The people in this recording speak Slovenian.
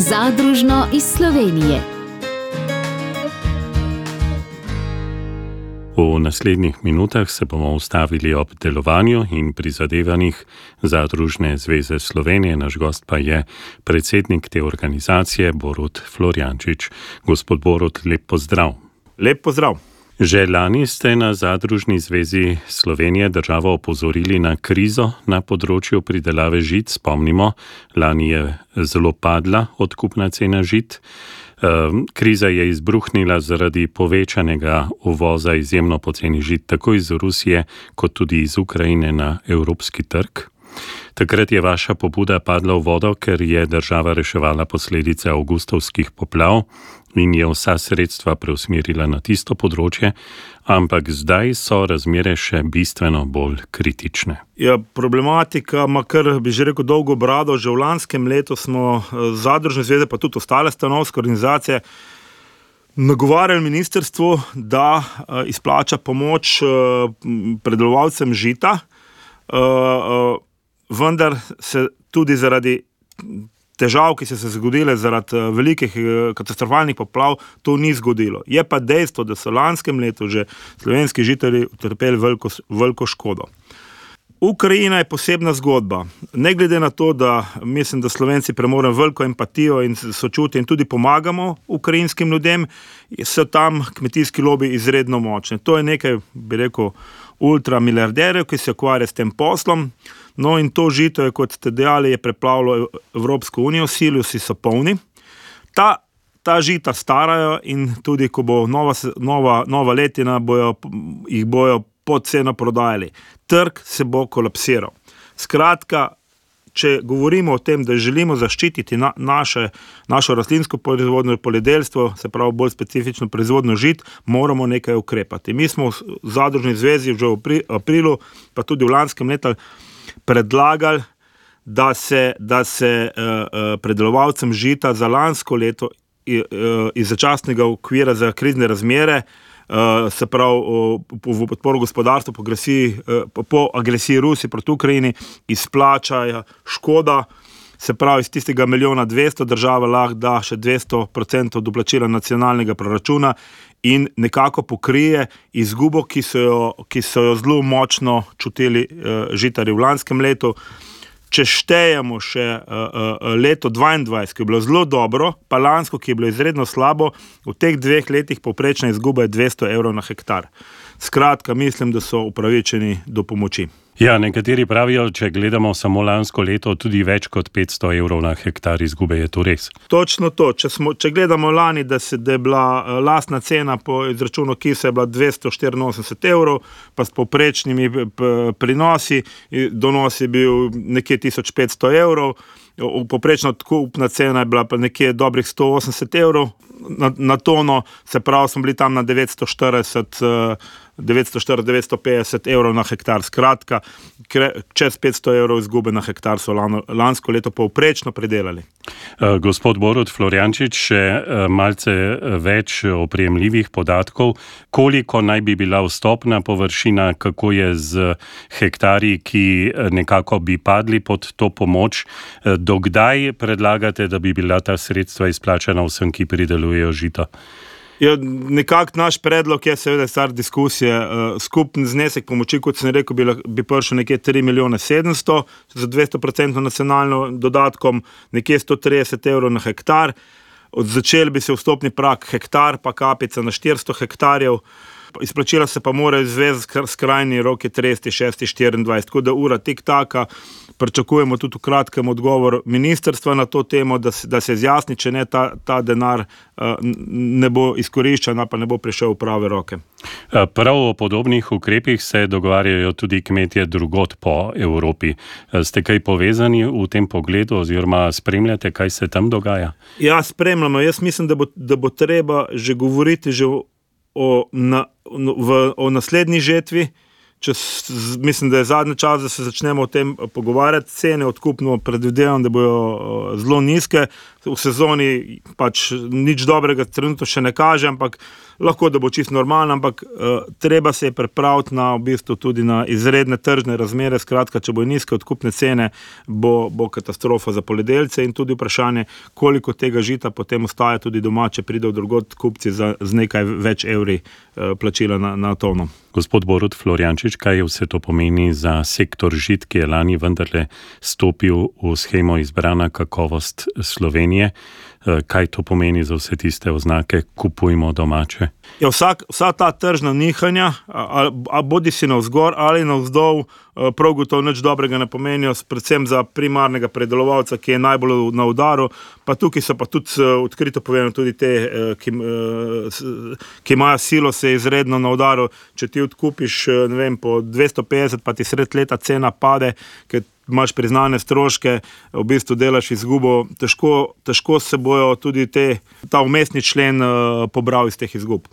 Zadružno iz Slovenije. V naslednjih minutah se bomo ustavili ob delovanju in prizadevanjih Zadružne zveze Slovenije. Naš gost pa je predsednik te organizacije Borut Florjančič. Gospod Borut, lep pozdrav. Lep pozdrav. Že lani ste na Zadružni zvezi Slovenije državo opozorili na krizo na področju pridelave žit. Spomnimo, lani je zelo padla odkupna cena žit. Kriza je izbruhnila zaradi povečanega uvoza izjemno poceni žit tako iz Rusije kot tudi iz Ukrajine na evropski trg. Takrat je vaša pobuda padla v vodo, ker je država reševala posledice avgustovskih poplav in je vsa sredstva preusmerila na tisto področje, ampak zdaj so razmere še bistveno bolj kritične. Ja, problematika ima kar, bi že rekel, dolgo brado. Že v lanskem letu smo Zadružne zveze, pa tudi ostale stanovske organizacije, nagovarjali ministrstvo, da izplača pomoč predelovalcem žita, vendar se tudi zaradi težav, ki so se zgodile zaradi velikih katastrofalnih poplav, to ni zgodilo. Je pa dejstvo, da so v lanskem letu že slovenski žitarji utrpeli veliko škodo. Ukrajina je posebna zgodba. Ne glede na to, da mislim, da Slovenci premoremo veliko empatijo in sočutje in tudi pomagamo ukrajinskim ljudem, so tam kmetijski lobiji izredno močni. To je nekaj, bi rekel, ultramiliarderjev, ki se ukvarja s tem poslom. No in to žito je, kot ste dejali, je preplavilo Evropsko unijo, silosi so polni. Ta žita starajo in tudi, ko bo nova letina, jih bojo pod ceno prodajali. Trg se bo kolapsiral. Skratka, če govorimo o tem, da želimo zaščititi našo rastlinsko proizvodnjo, poljedelstvo, se pravi bolj specifično proizvodnjo žit, moramo nekaj ukrepati. Mi smo v Zadružni zvezi že v aprilu, pa tudi v lanskem letu, predlagali, da se predelovalcem žita za lansko leto iz začasnega okvira za krizne razmere, se pravi v podporu gospodarstvu po agresiji Rusije proti Ukrajini, izplačajo škoda, se pravi iz tistega 1.200.000 država lahko da še 200% doplačila nacionalnega proračuna in nekako pokrije izgubo, ki so jo zelo močno čutili žitarji v lanskem letu. Če štejemo še leto 2022, ki je bilo zelo dobro, pa lansko, ki je bilo izredno slabo, v teh 2 letih povprečna izguba je 200 evrov na hektar. Skratka, mislim, da so upravičeni do pomoči. Ja, nekateri pravijo, če gledamo samo lansko leto, tudi več kot 500 evrov na hektar izgube, je to res? Točno to. Če gledamo lani, da je bila lastna cena po izračunu KIS je bila 284 evrov, pa s povprečnimi prinosi, donos je bil nekje 1500 evrov, povprečna odkupna cena je bila pa nekje dobrih 180 evrov na tono, se pravi, smo bili tam na 950 evrov na hektar. Skratka, čez 500 evrov izgube na hektar so lansko leto povprečno pridelali. Gospod Borut Florjančič, še malce več oprijemljivih podatkov. Koliko naj bi bila vstopna površina, kako je z hektarji, ki nekako bi padli pod to pomoč? Dokdaj predlagate, da bi bila ta sredstva izplačana vsem, ki pridelujejo žito? Ja, nekako naš predlog je seveda stvar diskusije. Skupni znesek pomoči, kot sem rekel, bi prišel nekje 3.700.000 za 200% nacionalno dodatkom, nekje 130 evrov na hektar. Začeli bi se vstopni prak hektar, pa kapica na 400 hektarjev. Izplačila se pa mora izvesti skrajni rok je 30.6.24, tako da ura tik-taka. Pričakujemo tudi v kratkem odgovor ministrstva na to temo, da se izjasni, če ne ta denar ne bo izkoriščen, pa ne bo prišel v prave roke. Prav o podobnih ukrepih se dogovarjajo tudi kmetje drugod po Evropi. Ste kaj povezani v tem pogledu oziroma spremljate, kaj se tam dogaja? Ja, spremljamo. Jaz mislim, da bo treba že govoriti o naslednji žetvi. Mislim, da je zadnji čas, da se začnemo o tem pogovarjati. Cene odkupno predvidevam, da bojo zelo nizke. V sezoni pač nič dobrega trenutno še ne kaže, ampak lahko da bo čisto normalno, ampak treba se je pripraviti na v bistvu tudi na izredne tržne razmere, skratka, če bo nizke odkupne cene, bo katastrofa za poljedelce in tudi vprašanje, koliko tega žita potem ostaja tudi doma, če pridejo drugod kupci z nekaj več evri plačila na tono. Gospod Borut Florjančič, kaj vse to pomeni za sektor žit, ki je lani vendarle stopil v shemo Izbrana kakovost Slovenije? Kaj to pomeni za vse tiste oznake kupujmo domače? Ja, vsa ta tržna nihanja, bodi si navzgor ali navzdol, prav gotovo nič dobrega ne pomenijo, predvsem za primarnega predelovalca, ki je najbolj na udaru, pa tukaj so pa tudi odkrito povedano tudi te, ki imajo silo, se izredno na udaru. Če ti odkupiš, ne vem, po 250, pa ti sred leta cena pade, ker imaš priznane stroške, v bistvu delaš izgubo, težko se bojo tudi ta vmesni člen pobral iz teh izgub.